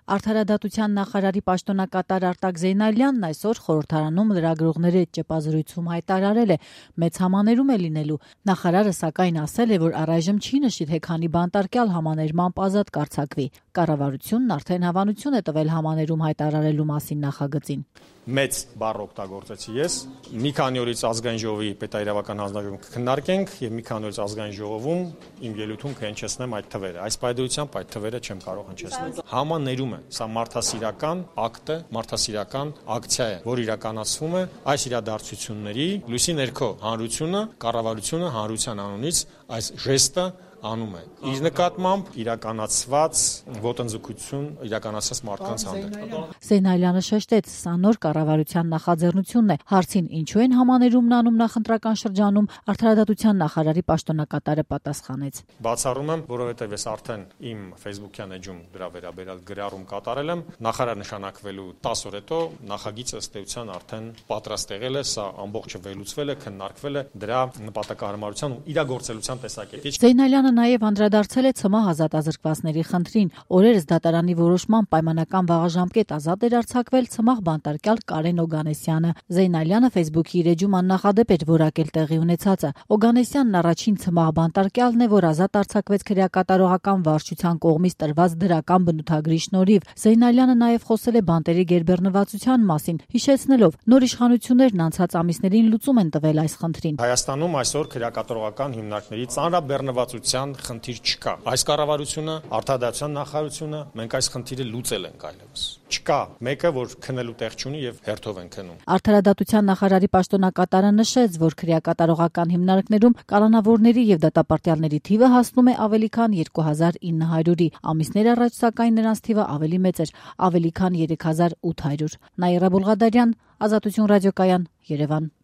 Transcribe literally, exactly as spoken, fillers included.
Արդարադատության նախարարի պաշտոնակատար Արտակ Զեյնալյանն այսօր խորհրդարանում լրագրողների հետ ճեպազրույցում հայտարարել է՝ մեծ համաներում է լինելու։ Նախարարը սակայն ասել է, որ առայժմ չի նշի, թե քանի բանտարկյալ համաներմամբ ազատ կարձակվի։ Կառավարությունն արդեն հավանություն է տվել համաներում հայտարարելու մասին նախագծին։ Մեծ բառ օգտագործեցի ես։ Մի քանի օրից ազգային ժողովի պետաիրավական հանձնաժողովում կքննարկենք եւ մի քանի օրից ազգային ժողովում իմ ելույթում կհնչեցնեմ այդ թվերը։ Այս պայմանությամբ այդ թվերը չեմ կարող հնչեցնել։ Համաներում է, սա մարդասիրական ակտ է, մարդասիրական ակցիա է, որ իրականացվում է այս իրադարձությունների լույսի ներքո հանրությունը, կառավարությունը հանրության անունից այս ժեստը անում է։ Իր նկատմամբ իրականացված ոտնձգություն իրականացած մարդկանց հանդեպ։ Զեյնալյանը շեշտեց, սա նոր կառավարության նախաձեռնությունն է։ Հարցին ինչու են համաներումն անում նախընտրական շրջանում, արդարադատության նախարարի պաշտոնակատարը պատասխանեց. Բացառում եմ, որովհետև ես արդեն իմ Facebook-յան էջում դրա վերաբերյալ գրառում կատարել եմ, նախարար նշանակվելու տասը օր հետո նախագիծը ըստ էության արդեն պատրաստ եղել է, սա ամբողջը վերլուծվել է, քննարկվել է դրա նպատակահարմարության ու իրագործելիության տեսակետից։ Զեյնալյանը նաև անդրադարձել է ՑՄՀ ազատազրկվածների խնդրին։ Օրերս դատարանի որոշմամբ պայմանական վաղաժամկետ ազատ էր արձակվել ՑՄՀ բանտարկյալ Կարեն Օգանեսյանը։ Զեյնալյանը Facebook-ի իր էջում աննախադեպ էր որակել տեղի ունեցածը։ Օգանեսյանն առաջին ՑՄՀ բանտարկյալն է, որ ազատ արձակվեց քրեակատարողական վարչության կողմից տրված դրական բնութագրի շնորհիվ։ Զեյնալյանը նաև խոսել է բանտերի գերբեռնվածության մասին, հիշեցնելով, նոր իշխանություններն անցած ամիսներին լուծում են տվել այս խնդրին։ Հայաստանում այսօր քրեակատարողական հիմնարկների ծանրաբեռնվածության խնդիր չկա։ Այս կառավարությունը, արդարադատության նախարարությունը մենք այս խնդիրը լուծել ենք այլևս։ Չկա մեկը, որ քնելու տեղ չունի եւ հերթով են քնում։ Արդարադատության նախարարի պաշտոնակատարը նշեց, որ քրեակատարողական հիմնարկներում կալանավորների եւ դատապարտյալների թիվը հասնում է ավելի քան երկու հազար ինը հարյուրի։ Ամիսներ առաջ սակայն նրանց թիվը ավելի մեծ էր՝ ավելի քան երեք հազար ութ հարյուր։ Նաիրա Բուլղադարյան, Ազատություն ռադիոկայան, Երևան։